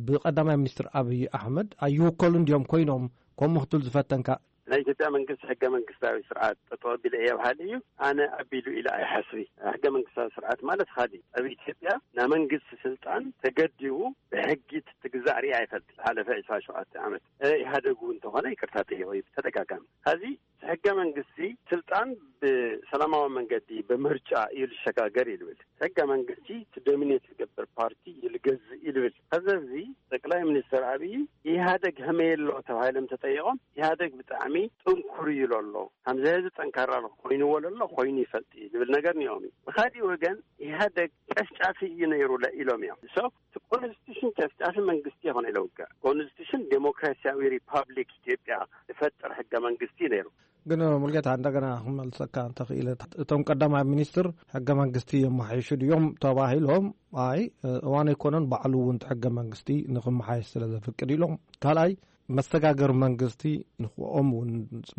ብቀዳማይ ሚኒስትር ኣብይ ኣሕመድ ኣይውከሉን ድዮም ኮይኖም? ከምኡ ክትብል ዝፈተንካ? ናይ ኢትዮጵያ መንግስቲ ሕገ መንግስታዊ ስርዓት ጠጠው ኣቢለ እየ በሃሊ እዩ። ኣነ ኣቢሉ ኢለ ኣይሓስቢ። ሕገ መንግስታዊ ስርዓት ማለት ካሊ ኣብ ኢትዮጵያ ናይ መንግስቲ ስልጣን ተገዲቡ ብሕጊ ትግዛእ ሪኣ ኣይፈልጥ። ዝሓለፈ ዕስራን ሸውዓተን ዓመት፣ እ፣ ኢህኣደግ እውን እንተኾነ ይቅርታ ጠይቆ እዩ ብተደጋጋሚ። ሐዚ ሕገ መንግስቲ ስልጣን ብሰላማዊ መንገዲ ብምርጫ እዩ ዝሸጋገር እዩ ዝብል። ሕገ መንግስቲ እቲ ዶሚኔት ዝገብር ፓርቲ እዩ ዝገዝእ እዩ ዝብል። ከዚ ኣብዚ ጠቅላይ ሚኒስትር ኣብይ ኢህኣደግ ከመይ ኣሎ ተባሂሎም ተጠይቆም ኢህኣደግ ብጣዕሚ ሚ ጥንኩር እዩ ኣሎ። ከምዚ ህዝቢ ጠንካራ ኮይንዎ ኣሎ፣ ኮይኑ ይፈልጥ እዩ ዝብል ነገር እኒኦም እዩ። ብኻሊእ ወገን ኢህኣደግ ጨፍጫፊ እዩ ነይሩ ለ-፣ ኢሎም እዮም። So እቲ ኮንስቲቱሽን ጨፍጫፊ መንግስቲ ይኾነ ኢለ ውግዕ። ኮንስቲቱሽን ዴሞክራሲያዊ ሪፓብሊክ ኢትዮጵያ ዝፈጥር ሕገ መንግስቲ ነይሩ። ግን ሙልጌታ፣ እንደገና ክመልሰካ እንተኽኢለ፣ እቶም ቀዳማይ ሚኒስትር ሕገ መንግስቲ የመሓይሹ ድዮም ተባሂሎም፣ ኣይ፣ እዋን ኣይኮነን፣ ባዕሉ እውን ሕገ መንግስቲ ንክመሓየሽ ስለ ዘፍቅድ ኢሎም። ካልኣይ፣ መሰጋገር መንግስቲ ንክኦም እውን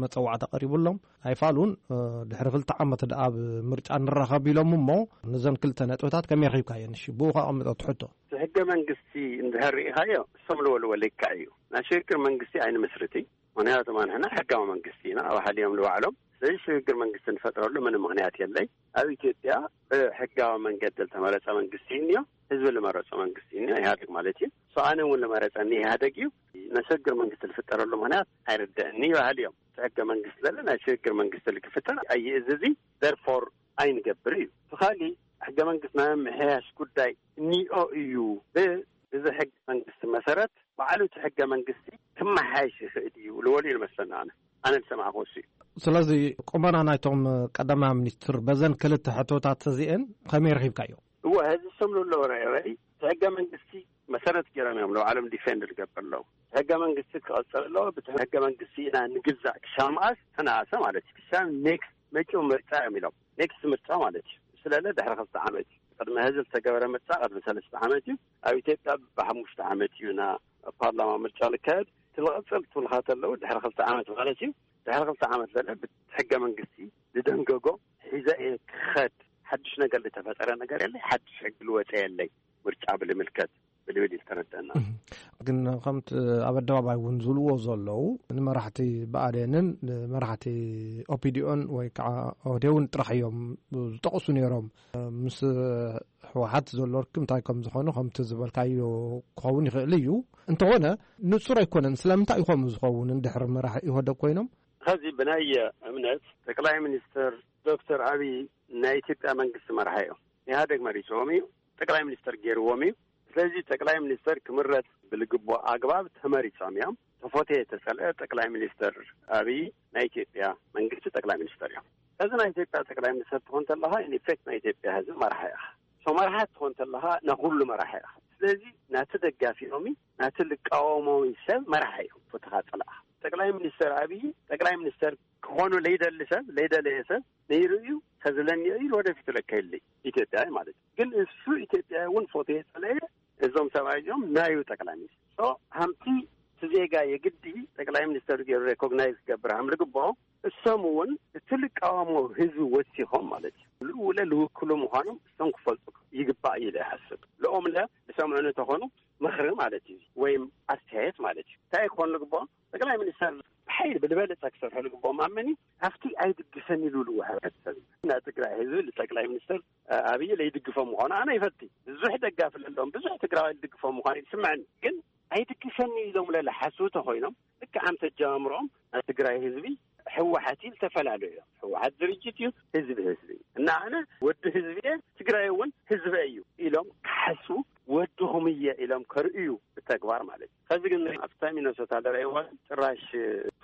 መፀዋዕታ ቀሪቡሎም ኣይፋሉን። ድሕሪ ክልተ ዓመት ደኣ ኣብ ምርጫ ንራኸብ ኢሎም እሞ፣ ነዘን ክልተ ነጥብታት ከመይ ረኺብካየን? እሺ፣ ብኡ ከቐምጦ ትሕቶ። እቲ ሕገ መንግስቲ እንድሕር ርኢኻዮ፣ እሶም ልበልዎ ልክዕ እዩ። ናይ ሽግግር መንግስቲ ኣይንምስርት። ምኽንያቱ ንሕና ሕጋዊ መንግስቲ ኢና፣ ኣብ ሓሊኦም ንባዕሎም። ስለዚ ሽግግር መንግስቲ ንፈጥረሉ ምንም ምኽንያት የለይ። ኣብ ኢትዮጵያ ብሕጋዊ መንገዲ ዝተመረፀ መንግስቲ እዩ እኒኦ፣ ህዝቢ ዝመረፆ መንግስቲ እዩ እኒኦ፣ ኢህኣደግ ማለት እዩ። So ኣነ እውን ዝመረፀኒ ኢህኣደግ እዩ። ናይ ሽግግር መንግስቲ ዝፍጠረሉ ምኽንያት ኣይርደእኒ ይበሃል እዮም። እቲ ሕገ መንግስቲ ዘሎ ናይ ሽግግር መንግስቲ ክፍጠር ኣይእዝዝ እዩ። Therefore ኣይንገብር እዩ። እቲ ካሊእ ሕገ መንግስቲ ናይ ምምሕያሽ ጉዳይ እኒኦ እዩ። ብ-፣ ብዚ ሕገ መንግስቲ መሰረት ባዕሉ እቲ ሕገ መንግስቲ ክመሓየሽ ይኽእል እዩ ልበሉ እዩ ዝመስለኒ። ኣነ፣ ኣነ ዝሰማዕኩ እሱ እዩ። ስለዚ ቁመና ናይቶም ቀዳማይ ሚኒስትር በዘን ክልተ ሕቶታት እዚአን ከመይ ረኺብካዮ? እወ፣ ህዝቢ ሰምሉ ኣለዎ። ራይ ራይ እቲ ሕገ መንግስቲ መሰረት ገይሮም እዮም ንባዕሎም ዲፌንድ ዝገብር ኣለዉ። እቲ ሕገ መንግስቲ ክቐፅል ኣለዎ። ብቲ ሕገ መንግስቲ ኢና ንግዛእ። ክሻም መኣስ ተነኣሰ ማለት እዩ። ክሻም ኔክስት መጪው ምርጫ እዮም ኢሎም። ኔክስት ምርጫ ማለት እዩ። ስለለ ድሕሪ ክልተ ዓመት እዩ። ቅድሚ ህዝቢ ዝተገበረ ምርጫ ቅድሚ ሰለስተ ዓመት እዩ። ኣብ ኢትዮጵያ ብሓሙሽተ ዓመት እዩ ና ፓርላማ ምርጫ ዝካየድ። ትልቐፅል ትውልኻት ኣለዉ ድሕሪ ክልተ ዓመት ማለት እዩ። ድሕሪ ክልተ ዓመት ለለ ብሕገ መንግስቲ ዝደንገጎ ሒዘ እየ ክኸድ። ሓድሽ ነገር ዝተፈጠረ ነገር የለይ። ሓድሽ ሕጊ ዝወፀ የለይ። ምርጫ ብልምልከት ብልብል እዩ ዝተረደና። እህ፣ ግን ከምቲ ኣብ ኣደባባይ እውን ዝብልዎ ዘለዉ፣ ንመራሕቲ ብኣዴንን ንመራሕቲ ኦፒዲኦን ወይ ከዓ ኦህዴውን ጥራሕ እዮም ዝጠቕሱ ነይሮም። ምስ ህወሓት ዘሎ ርክብ እንታይ ከም ዝኾኑ ከምቲ ዝበልካዮ ክኸውን ይኽእል እዩ። እንተኾነ ንጹር ኣይኮነን። ስለምንታይ እዩ ከምኡ ዝኸውን? እንድሕር መራሒ ኢህወደግ ኮይኖም? ኸዚ ብናይ እምነት ጠቅላይ ሚኒስትር ዶክተር ኣብይ ናይ ኢትዮጵያ መንግስቲ መራሒ እዮም። ኢህኣደግ መሪፅዎም እዩ፣ ጠቅላይ ሚኒስትር ገይርዎም እዩ። ስለዚ ጠቅላይ ሚኒስትር ክምረፅ ብልግቦ ኣግባብ ተመሪፆም እዮም። ተፎተየ ተፀልአ ጠቅላይ ሚኒስትር ኣብይ ናይ ኢትዮጵያ መንግስቲ ጠቅላይ ሚኒስትር እዮም። እዚ ናይ ኢትዮጵያ ጠቅላይ ሚኒስትር ትኾን ተለኻ ኢንፌክት ናይ ኢትዮጵያ ህዝቢ መራሒ ኢኻ። ሶ መራሒ ትኾን ተለኻ ናይ ኩሉ መራሒ ኢኻ። ስለዚ ናቲ ደጋፊኦም እዩ፣ ናቲ ልቃወሞም እዩ ሰብ መራሒ እዮም። ፎተኻ ፀላእኻ ጠቅላይ ሚኒስትር ኣብይ ጠቅላይ ሚኒስትር ክኾኑ ለይደሊ ሰብ ለይደለየ ሰብ ነይሩ እዩ። ከዝለኒ እዩ ወደፊት ለካ የለይ ኢትዮጵያ ማለት እዩ። ግን እሱ ኢትዮጵያ እውን ፎቶ የፀለየ እዞም ሰብኣይ እዚኦም ናዩ ጠቅላይ ሚኒስትር። ሶ ሃምቲ እቲ ዜጋ የግዲ ጠቅላይ ሚኒስትር ገይሩ ሬኮግናይዝ ክገብር ሃም ልግብኦ እሶም እውን እቲ ልቃወሞ ህዝቢ ወሲኾም ማለት እዩ። ልኡለ ልውክሉ ምዃኖም እሶም ክፈልጡ ይግባእ እዩ ኢለ ይሓስብ። ልኦም ለ ዝሰምዑ እንተኾኑ ምኽሪ ማለት እዩ ወይም ኣስተያየት ማለት እዩ። እንታይ ክኾን ልግብኦ? ጠቅላይ ሚኒስትር ብሓይሊ ብልበለፀ ክሰርሑ ልግብኦም ኣመኒ ኣብቲ ኣይድግፈን ኢሉ ልዎ ሕብረተሰብ እዩ። ናይ ትግራይ ህዝቢ ንጠቅላይ ሚኒስትር ኣብይ ለይድግፎም ምዃኑ ኣነ ይፈቲ። ብዙሕ ደጋፊ ለለዎም ብዙሕ ትግራዋይ ልድግፎም ምዃኑ ይስምዐኒ። ግን ኣይድግፈኒ ኢሎም ለለ ሓስቡ ተኮይኖም ልክዕ ኣም ተጀማምሮም ናይ ትግራይ ህዝቢ ህወሓት እዩ ዝተፈላለዩ እዮም። ህወሓት ድርጅት እዩ፣ ህዝቢ ህዝቢ እዩ። እና ኣነ ወዲ ህዝቢ እየ፣ ትግራይ እውን ህዝቢ እዩ ኢሎም ክሓስቡ ወድኹም እየ ኢሎም ከርእዩ ብተግባር ማለት እዩ። ከዚ ግን ኣብታ ሚነሶታ ለረእይዋ ጭራሽ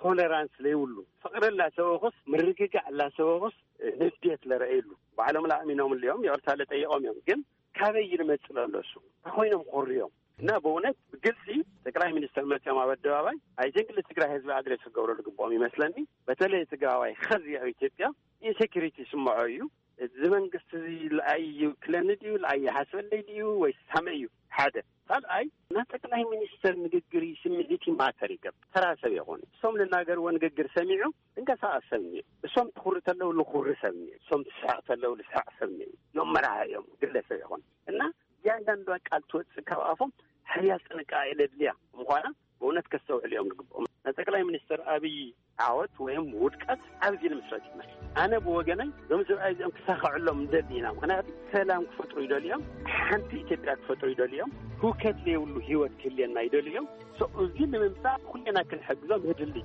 ቶለራንስ ለይብሉ ፍቅሪ ላሰበኹስ ምርግጋዕ ላሰበኹስ ንዴት ለረእይሉ ባዕሎም ላእሚኖም እዮም ይቕርታ ለጠይቆም እዮም። ግን ካበይ ይመጽእ ለሎ እሱ ተኮይኖም ኮርዮም እና ብእውነት ብግልፂ ጠቅላይ ሚኒስትር መፅኦም ኣብ ኣደባባይ ኣይዘንግ ንትግራይ ህዝቢ ኣድሬስ ክገብሩ ልግብኦም ይመስለኒ። በተለይ ትግራዋይ ከዚ ኣብ ኢትዮጵያ ኢንሴኪሪቲ ይስምዖ እዩ። እዚ መንግስቲ እዚ ልኣይ ይውክለኒ ድዩ ልኣይ ይሓስበለይ ድዩ ወይ ሳመ እዩ ሓደ። ካልኣይ ናይ ጠቅላይ ሚኒስትር ንግግር ስምዒት ማተር ይገብር። ተራ ሰብ ይኾኑ እሶም ልናገርዎ ንግግር ሰሚዑ እንቀሳቀስ ሰብ እኒኦ። እሶም ትኩሪ ተለው ልኩሪ ሰብ እኒኦ። እሶም ትስሕቅ ተለው ልስሕቅ ሰብ እኒኦ። እዮም መራሒ እዮም ግለሰብ ይኾኑ እና እያንዳንዱ ቃል ትወፅእ ካብ ኣፎም ሓያል ጥንቃቄ ለድልያ ምዃና ብእውነት ከስተውዕል እዮም ዝግብኦም። ናይ ጠቅላይ ሚኒስትር ኣብይ ዓወት ወይም ውድቀት ኣብዚ ንምስረት ይመስል። ኣነ ብወገነይ እዞም ሰብኣይ እዚኦም ክሳኸዐሎም እንደሊ ኢና። ምክንያቱ ሰላም ክፈጥሩ ይደልዮም፣ ሓንቲ ኢትዮጵያ ክፈጥሩ ይደልዮም፣ ህውከት ዘይብሉ ህይወት ክህልየና ይደልዮም። So እዚ ንምምፃእ ኩሌና ክንሕግዞም የድሊ።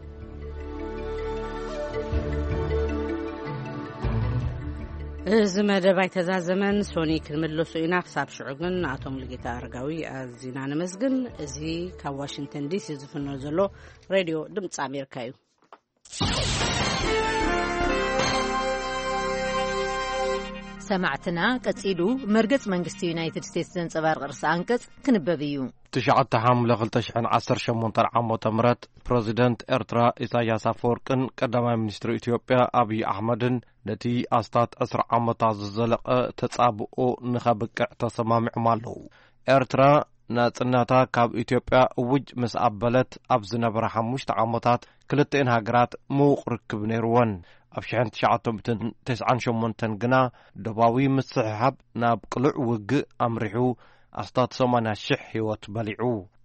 እዚ መደብ ኣይተዛዘመን፣ ሶኒ ክንምለሶ ኢና። ክሳብ ሽዑ ግን ንኣቶ ሙሉጌታ ኣረጋዊ ኣዚና ነመስግን። እዚ ካብ ዋሽንግተን ዲሲ ዝፍኖ ዘሎ ሬድዮ ድምፂ ኣሜሪካ እዩ። ሰማዕትና፣ ቀጺሉ መርገጽ መንግስቲ ዩናይትድ ስቴትስ ዘንጸባርቕ ርእሰ ኣንቀጽ ክንበብ እዩ። ትሽዓተ ሓምለ ክልተ ሽሕን ዓሰርተ ሸሞንተን ዓመተ ምህረት ፕረዚደንት ኤርትራ ኢሳያስ ኣፈወርቅን ቀዳማይ ሚኒስትር ኢትዮጵያ ኣብይ ኣሕመድን ነቲ ኣስታት ዕስራ ዓመታት ዝዘለቐ ተጻብኦ ንኸብቅዕ ተሰማሚዖም ኣለዉ። ኤርትራ ናጽነታ ካብ ኢትዮጵያ እውጅ ምስ ኣበለት ኣብ ዝነበራ ሓሙሽተ ዓመታት ክልቲኤን ሃገራት ምዉቕ ርክብ ነይርወን። ኣብ ሽሕን ትሽዓተ ሚእትን ተስዓን ሸሞንተን ግና ዶባዊ ምስሕሓብ ናብ ቅሉዕ ውግእ ኣምሪሑ ኣስታት ሰማንያ ሽሕ ህይወት በሊዑ።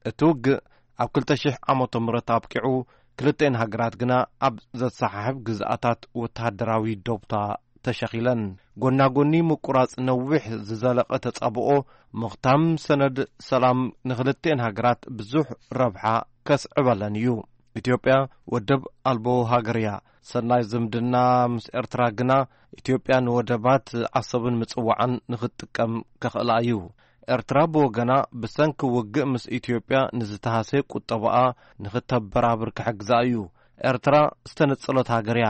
እቲ ውግእ ኣብ ክልተ ሽሕ ዓመተ ምህረት ኣብቂዑ፣ ክልቲኤን ሃገራት ግና ኣብ ዘሰሓሕብ ግዝኣታት ወተሃደራዊ ዶብታ ተሸኺለን። ጎና ጎኒ ምቁራጽ ነዊሕ ዝዘለቐ ተጻብኦ፣ ምኽታም ሰነድ ሰላም ንኽልቲኤን ሃገራት ብዙሕ ረብሓ ከስዕበለን እዩ። ኢትዮጵያ ወደብ ኣልቦ ሃገር እያ። ሰናይ ዝምድና ምስ ኤርትራ ግና ኢትዮጵያ ንወደባት ዓሰብን ምጽዋዕን ንኽትጥቀም ከኽእላ እዩ። ኤርትራ ብወገና ብሰንኪ ውግእ ምስ ኢትዮጵያ ንዝተሃሰየ ቁጠባኣ ንኽተበራብር ክሕግዛ እዩ። ኤርትራ ዝተነጸሎት ሃገር እያ።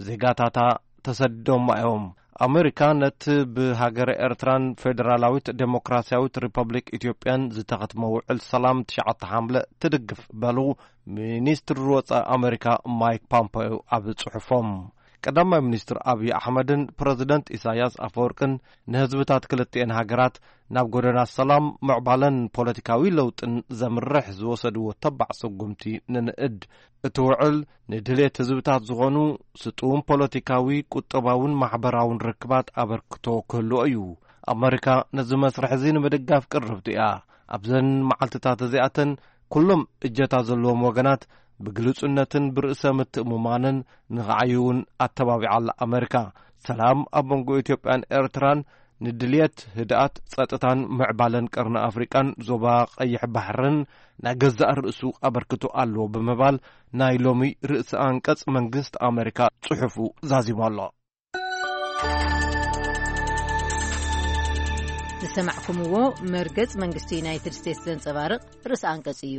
ዜጋታታ ተሰዲዶማ እዮም። ኣሜሪካ ነቲ ብሃገረ ኤርትራን ፌደራላዊት ዴሞክራስያዊት ሪፐብሊክ ኢትዮጵያን ዝተኸትመ ውዕል ሰላም ትሽዓተ ሓምለ ትድግፍ በሉ ሚኒስትሪ ወጻኢ ኣሜሪካ ማይክ ፖምፖዮ ኣብ ጽሑፎም። ቀዳማይ ሚኒስትር ኣብይ ኣሕመድን ፕረዚደንት ኢሳያስ ኣፈወርቅን ንህዝብታት ክልቲኤን ሃገራት ናብ ጎደና ሰላም፣ ምዕባለን ፖለቲካዊ ለውጥን ዘምርሕ ዝወሰድዎ ተባዕ ስጉምቲ ንንእድ። እቲ ውዕል ንድሌት ህዝብታት ዝኾኑ ስጡም ፖለቲካዊ፣ ቁጠባውን ማሕበራውን ርክባት ኣበርክቶ ክህልዎ እዩ። ኣመሪካ ነዚ መስርሕ እዚ ንምድጋፍ ቅርብቲ እያ። ኣብዘን መዓልትታት እዚኣተን ኩሎም እጀታ ዘለዎም ወገናት ብግሉጽነትን ብርእሰ ምትእምማንን ንኽዓዩ እውን ኣተባቢዓ ኣላ ኣመሪካ። ሰላም ኣብ መንጎ ኢትዮጵያን ኤርትራን ንድልየት ህድኣት፣ ጸጥታን ምዕባለን ቀርኒ ኣፍሪቃን ዞባ ቀይሕ ባሕርን ናይ ገዛእ ርእሱ ኣበርክቶ ኣለዎ ብምባል ናይ ሎሚ ርእሰ ኣንቀጽ መንግስቲ ኣመሪካ ጽሑፉ ዛዚሙ ኣሎ። ዝሰማዕኩምዎ መርገጽ መንግስቲ ዩናይትድ ስቴትስ ዘንጸባርቕ ርእሰ ኣንቀጽ እዩ።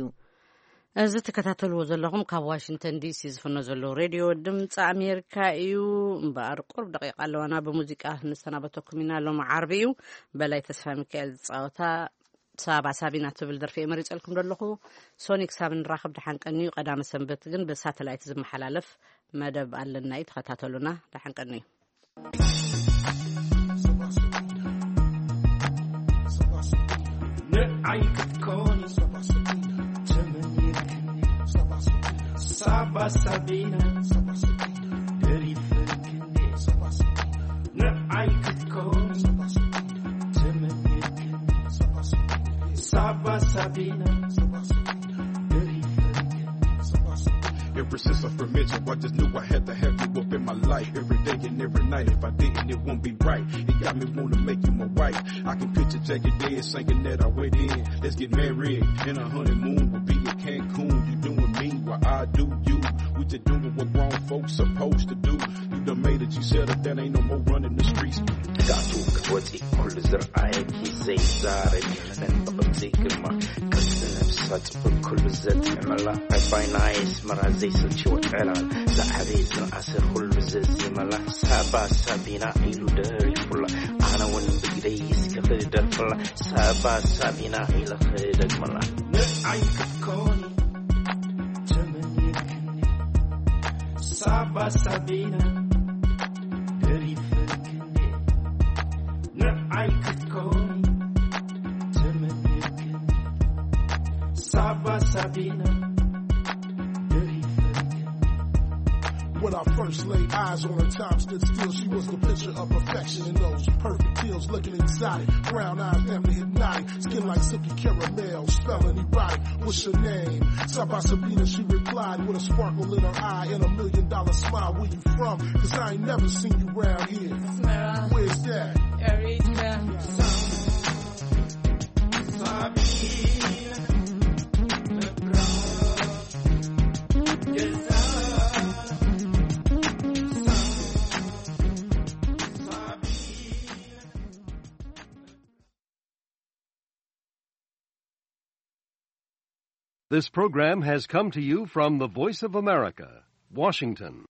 እዚ ትከታተልዎ ዘለኹም ካብ ዋሽንግተን ዲሲ ዝፍኖ ዘሎ ሬድዮ ድምፂ ኣሜሪካ እዩ። እምበኣር ቁሩብ ደቂቃ ኣለዋና፣ ብሙዚቃ ንሰናበተኩም ኢና። ሎሚ ዓርቢ እዩ። በላይ ተስፋ ሚካኤል ዝፃወታ ሳባ ሳቢና ትብል ደርፊ እየ መሪፀልኩም ዘለኹ። ሶኒ ክሳብ ንራኸብ ደሓን ቀንዩ። ቀዳመ ሰንበት ግን ብሳተላይት ዝመሓላለፍ መደብ ኣለና እዩ፣ ተኸታተሉና። ደሓን ቀንዩ። ንዓይ ክትኮኒ ተመኒትኒ ሳባ ሳቢና ደሪፍክኒ ንዓይ ክትኮኒ ተመኒትኒ ሳባ ሳቢና ደሪፍክኒ Ever since I first met you, I just knew I had to have you up in my life every day and every night. If I didn't, it won't be right. It got me wanna make you my wife. I can picture Jackie Dead singing that I went in. Let's get married and a honeymoon will be in Cancun. You doing me while I do you. We just doing what grown folks supposed to do. You done made it, you settled down, ain't no more running the streets. ትጋቱ ክትወፂ ኩሉ ዝረኣየኪ ዘይዛረብ ይኽለን ብቕምፂ ግርማ ቅርፂ ነብሳ ፅቡቅ ኩሉ ዘጥዕመላ ዕባይ ናይ ኣስመራ ዘይሰልችዎ ዕላል ዝዓበየ ዝነኣሰ ኩሉ ዘዜመላ ሳባ ሳቢና ኢሉ ደሪፉላ ኣነ እውን ብግደይ እስከ ክደርፍላ ሳባ ሳቢና ኢለ ክደግመላ ንዓይ ክትኮኒ ተመኒትኒ ሳባ ሳቢና ደሪፍክኒ ንዓይ ክትኮኒ ተመኒትኒ ሳባ ሳቢና ደሪፍክኒ When I first laid eyes on her, time stood still. She was the picture of perfection in those perfect heels, looking exotic. Brown eyes, damn near hypnotic. Skin like silky caramel, smelling erotic. What's your name? Saba Sabina, she replied with a sparkle in her eye and a million dollar smile. Where you from? Cause I ain't never seen you round here. Where's that? This program has come to you from the Voice of America, Washington.